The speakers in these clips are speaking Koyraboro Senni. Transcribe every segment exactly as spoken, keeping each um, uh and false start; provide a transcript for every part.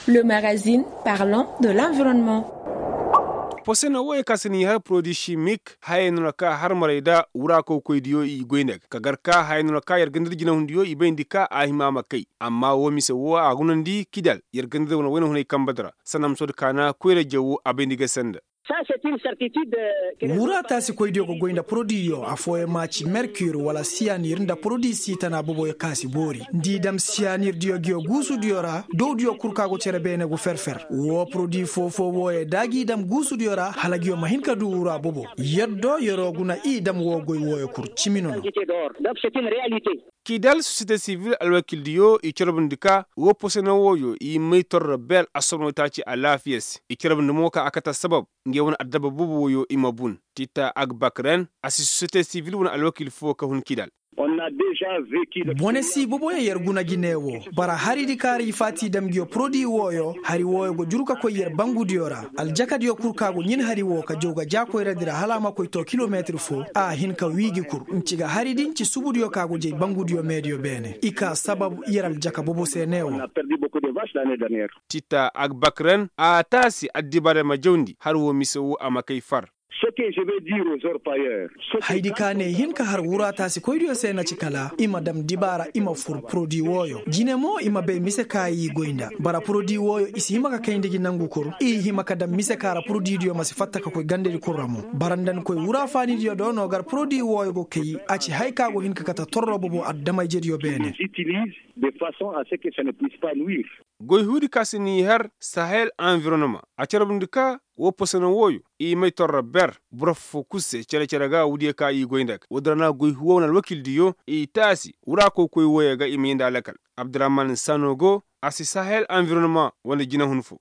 Le magazine parlant de l'environnement. Posena wooyo ka si n'i har porodi simik hayey no na ka har maray nda wura kawkoydiyo i goy nda ga ka gar ka hayey no na ka yer ganda nda jinahundiyo i bayndi ka a hima a ma kay. Amma woo mise woo a gunandi kidal yer ganda nda wane wayna hunay kambadi ra. Sanamsodi kaana koyra jawo a bayndi ga senda. Wura taasikoydiyo ga goy nda porodiyo affooyaŋ ma ci merkir wala siyanir nda porodi siitana boboyo ka si boori nda i dam siyanirdiyo nguyo guusudiyo ra dowdiyo kul ka go cere beene go fer-fer. Woo porodi foo-foo wooyo da gi dam guusudiyo ra hala nguyo ma hin ka du wura bobo. Yer do yeroo guna i dam woo goy wooyo kul cimi no no. Kidal sosiyete sivil alwakildiyo i carbundi ka woo posena wooyo i may torro ber assobonoo taaci alaafiya se i carbundi mo ka a kate assabab. Ngey wane addabba boobo wooyo i ma bun. Tita agbakren a si sosiyete sivil wane alwakil foo ka hun kidal. Bone si boboyo yer guna gi ne woo bara haridi ka ra i faati dam nguyo porodi wooyo hari wooyo go juru ka koy yer bangudiyo ra. Aljakadiyo kul ka go ɲin hari woo ka jaw ga jaakoyradi ra hala a ma koy too kilometir foo a hin ka wii gi kul nci ga haridi nci subudiyo ka go jay bangudiyo meediyo beene i kaa sabab yer aljaka bobo se ne woo. Tita agbakren a taasi addibaarey ma jawndi har woo mise woo a ma kay far. Haydi ka ne i hin ka har wura taasikoydiyo se na ci kala i ma dam dibaara i ma fur porodi wooyo jine mo i ma bay mise ka i goy nda bara porodi wooyo i si hima ka kayndi gi nangu kul i hima ka dam mise ka ra porodidiyo ma si fatta ka koy gandadi kul ra mo bara nda ni koy wura faanidiyo do no gar porodi wooyo go kay a ci haya ka go hin ka kate torro bobo adama-ijediyo beene. Goy huudi ka si n'i har sahel anvironoma a carbundi ka woo posona wooyo i may torro ber boro foo-foo kul se cere-cere ga wuudiyo ka i goy nda ga woodi ra na goy huuwa wane alwakildiyo i taasi wura koy-koy wooyo ga i ma yee nda alakal. Abdurahman sano go a si sahel anvironoma wane jinehun foo.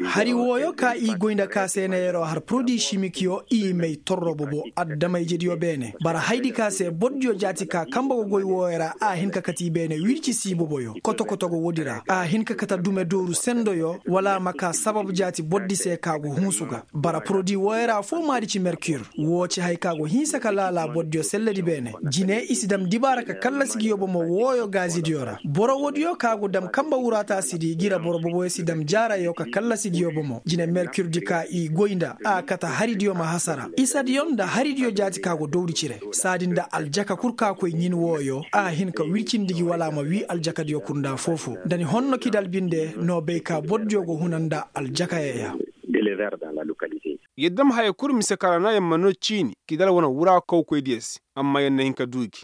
Hari wooyo ka i goy nda ka se na yeroo har porodi simikyo i may torro bobo adama-ijediyo beene bara haydi ka se bordiyo jaati ka kambe go goy wooyo ra a hin ka kate i beene wirci si boboyo koto-koto go woodi ra a hin ka kate dume dooru sendoyo wala a ma kaa sabab jaati bordi se ka go hunsu ga. Bara porodi wooyo ra affoo maadi ci merkir woo ci haya ka go hinsa ka laala bordiyo selledi beene jine i si dam dibaara ka kallasi nguyo bomo wooyo gaazidiyo ra boro woodiyo ka go dam kambe wuraataasidi gi ra boro boboyo si dam jaarayo ka kallasi nguyo bomo jine merkirdi ka i goy nda a kate haridiyo ma hasara isadiyo nda haridiyo jaati ka go dowdi cire saadi nda aljaka kul ka koy ɲin wooyo a hin ka wircindi gi wala a ma wii aljakadiyo kul nda foo-foo nda ni honno kidal binde no bay ka bordiyo go huna nda aljakayo ya. Yer dam haya kul mise ka ra na yer ma noo ciini kidal wane wura kawkoydiyo se amma yer na hin ka duu gi.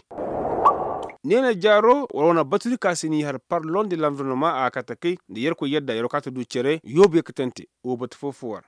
Neena jaaro war wane batudi ka se n'i har parlon de lanvironoma a kate kay nda yerkoy yadda yeroo kaate duu cere yoobu yer katante woo batu foo-foo war.